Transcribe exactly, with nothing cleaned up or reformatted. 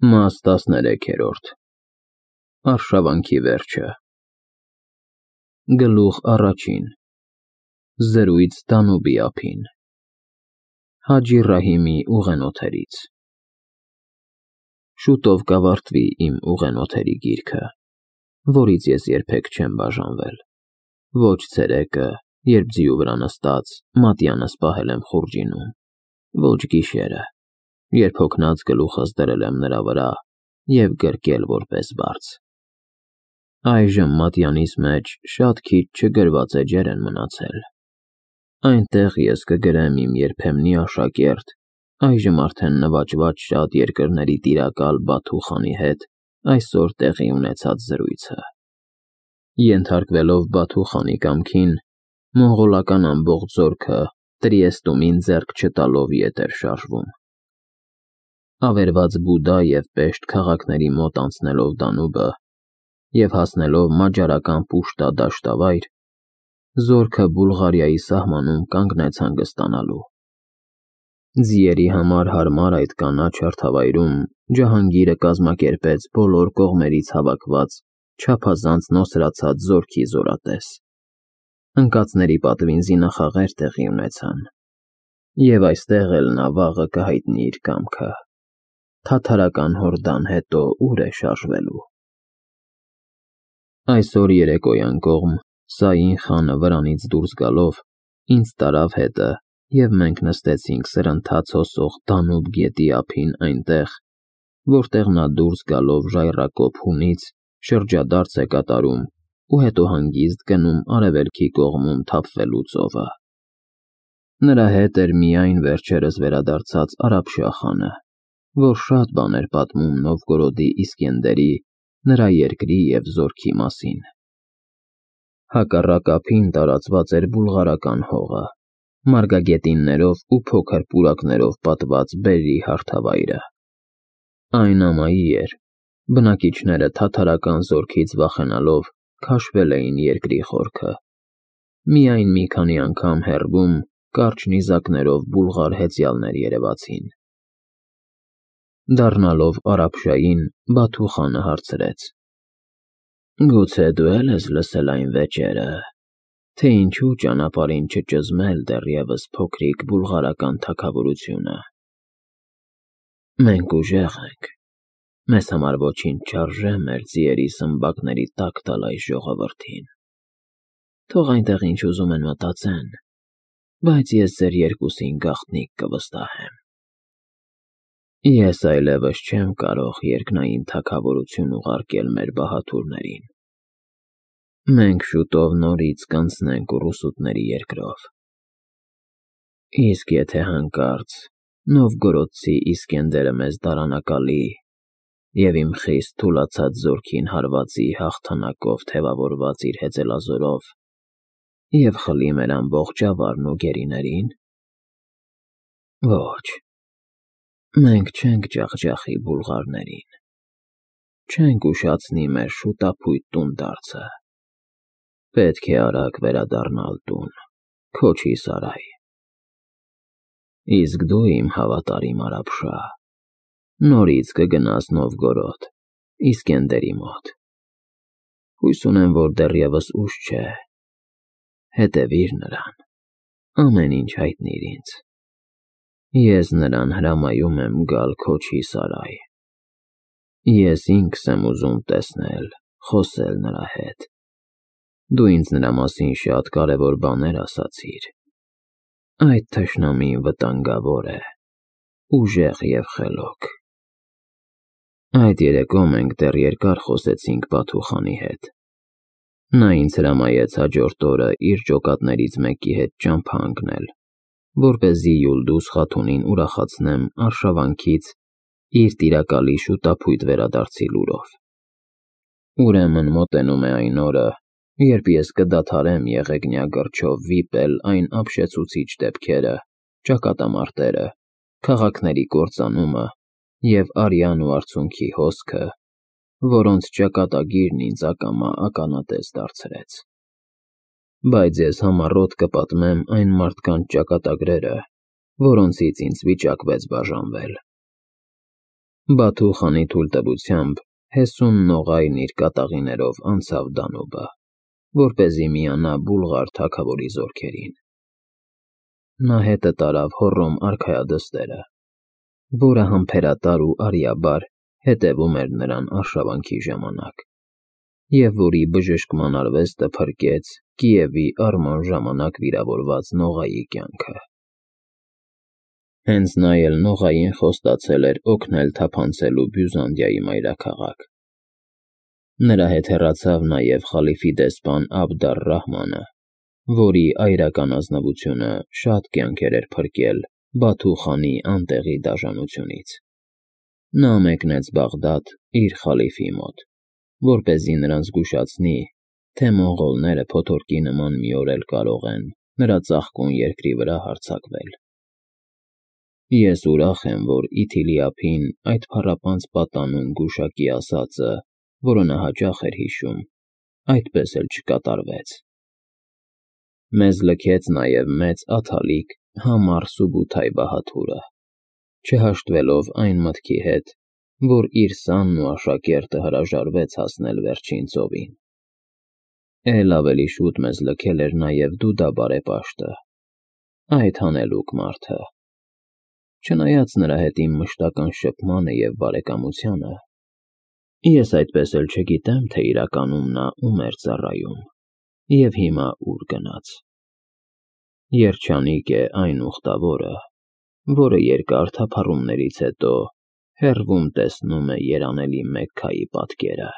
Մաս տասներեքերորդ Արշավանքի վերջը Գլուխ առաջին Զրույց Դանուբի ափին Հաջի Ռահիմի ուղենոթերից Շուտով կավարտվի իմ ուղենոթերի գիրքը, որից ես երբեք չեմ բաժանվել, ոչ ցերեկը, երբ ձիու վրա նստած մատյանս պահել եմ խուրջինում, ոչ գիշերը, երբ հոգնած գլուխս դրել եմ նրա վրա և գրկել որպես բարձ։ Այժմ մատյանիս մեջ շատ քիչ չգրված էջեր են մնացել։ Այնտեղ ես կգրեմ իմ երբեմնի աշակերտ, այժմ արդեն նվաճված շատ երկրների տիրակալ Բաթու խանի հետ այսօր տեղի ունեցած զրույցը։ Ենթարկվելով Բաթու խանի կամքին, մոնղոլական ամբողջ զորքը Տրիեստումին ձեռք չտալով ետ էր շարժվում։ Ավերված Բուդա և Պեշտ քաղաքների մոտ անցնելով Դանուբը և հասնելով մաջարական Պուշտա դաշտավայր, զորքը Բուլղարիայի սահմանում կանգնեց հանգստանալու։ Ձիերի համար հարմար այդ կանաչ հարթավայրում Ջահանգիրը կազմակերպեց բոլոր կողմերից հավաքված չափազանց նոսրացած զորքի զորատես։ Ընկածների պատվին զինախաղեր տեղի ունեցան, և այստեղ էլ նա վաղը կհայտնի իր կամքը։ Թաթարական հորդան հետո ուր է շարժվելու։ Այսօր երեկոյան կողմ Սաին խանը վրանից դուրս գալով ինձ տարավ հետը, և մենք նստեցինք սրընթաց հոսող Դանուբ գետի ափին այնտեղ, որտեղ նա դուրս գալով ժայռակոպ հունից շրջադարձ է կատարում ու հետո հանգիստ գնում արևելքի կողմում թափվելու ծովը։ Նրա հետ էր միայն վերջերս վերադարձած Արաբշահ խանը, որ շատ բան էր պատմում Նովգորոդի Իսկենդերի, նրա երկրի և զորքի մասին։ Հակառակ ափին տարածված էր բուլղարական հողը, մարգագետիններով ու փոքր պուրակներով պատված բերրի հարթավայրը։ Այն ամայի էր, բնակիչները թաթարական զորքից վախենալով քաշվել էին երկրի խորքը։ Միայն մի քանի անգամ հեռվում կարճ նիզակներով բուլղար հեծյալներ երևացին։ Դառնալով Արաբշահին, Բաթու խանը հարցրեց. Գուցե դու էլ ես լսել այն վեճերը, թե ինչու ճանապարհին չճզմել դեռևս փոքրիկ բուլղարական թագավորությունը։ Մենք ուժեղ ենք, մեզ համար ոչինչ չարժե մեր ձիերի սմբակների տակ տալ այս ժողովրդին։ Թող այնտեղ ինչ ուզում են մտածեն, բայց ես ձեր երկուսին գաղտնիք կվստահեմ։ Ես այլևս չեմ կարող երկնային թագավորություն ուղարկել մեր բահադուրներին։ Մենք շուտով նորից կանցնենք ուռուսուտների երկրով։ Իսկ եթե հանկարծ Նովգորոդցի Իսկենդերը մեզ դարանակալի և իմ խիստ թուլացած զորքին հարվածի հաղթանակով թևավորված իր հեծելազորով և խլի մեր ամբողջ ավարն ու գերիներին։ Ոչ, մենք չենք ջախջախի բուլղարներին, չենք ուշացնի մեր շուտափույթ տունդարձը։ Պետք է արագ վերադառնալ տուն, Քոչի սարայ։ Իսկ դու, իմ հավատարիմ Արաբշահ, նորից կգնաս Նովգորոդ, Իսկենդերի մոտ։ Հույս ունեմ, որ դեռևս ուշ չէ։ Հետևիր նրան, ամեն ինչ հայտնիր ինձ։ Ես նրան հրամայում եմ գալ Քոչի սարայ։ Ես ինքս եմ ուզում տեսնել, խոսել նրա հետ։ Դու ինձ նրա մասին շատ կարևոր բաներ ասացիր։ Այդ թշնամին վտանգավոր է, ուժեղ և խելոք։ Այդ երեկո մենք դեռ երկար խոսեցինք Բաթու խանի հետ։ Նա ինձ հրամայեց հաջորդ օրը իր ջոկատներից մեկի հետ ճամփա ընկնել, որպեսզի Յուլդուզ խաթունին ուրախացնեմ արշավանքից իր տիրակալի շուտափույթ վերադարձի լուրով։ Ուրեմն մոտենում է այն օրը, երբ ես կդադարեմ եղեգնյա գրչով վիպել այն ապշեցուցիչ դեպքերը, ճակատամարտերը, քաղաքների կործանումը և արյան ու արցունքի հոսքը, որոնց ճակատագիրն ինձ ակամա ականատես դարձրեց։ Բայց ես համառոտ կպատմեմ այն մարդկանց ճակատագրերը, որոնցից ինձ վիճակվեց բաժանվել։ Բաթու խանի թույլտվությամբ հեսուն նողայն իր կատաղիներով անցավ Դանուբը, որպեսզի միանա Բուլղար թագավորի զորքերին։ Նա հետը տարավ Հոռոմ արքայադստերը, որը համբերատար ու արիաբար հետևում էր նրան արշավանքի ժամանակ, և որի բժշկման արվեստը փրկեց Կիևի առման ժամանակ վիրավորված Նողայի կյանքը։ Հենց նա էլ Նողային խոստացել էր օգնել թափանցելու Բյուզանդիայի մայրաքաղաք։ Նրա հետ հեռացավ նաև խալիֆի դեսպան Աբդ ալ-Ռահմանը, որի այրական ազնվությունը շատ կյանքեր էր փրկել Բաթու խանի անտեղի դաժանությունից։ Նա մեկնեց Բաղդադ իր խալիֆի մոտ, որպեսզի նրան զգուշացնի, թե մոնղոլները փոթորկի նման մի օր էլ կարող են նրա ծաղկուն երկրի վրա հարձակվել։ Ես ուրախ եմ, որ Իթիլի ափին այդ փառապանծ պատանուն գուշակի ասածը, որը նա հաճախ էր հիշում, այդպես էլ չկատարվեց։ Մեզ լքեց նաև մեծ աթալիկ Համար Սուբութայ Բահաթուրը, չհաշտվելով այն մտքի հետ, որ իր սանն ու աշակերտը հրաժարվեց հասնել վերջին ծովին։ Էլ ավելի շուտ մեզ լքել էր նաև Դուդա բարեպաշտը, այդ հանելուկ մարդը։ Չնայած նրա հետ իմ մշտական շփմանը և բարեկամությանը, ես այդպես էլ չգիտեմ, թե իրականում նա ում էր ծառայում և հիմա ուր գնաց։ Երջանիկ է այն ուխտավորը, որը երկար թափառումներից հետո հեռվում տեսնում է երանելի Մեքքայի պատկերը։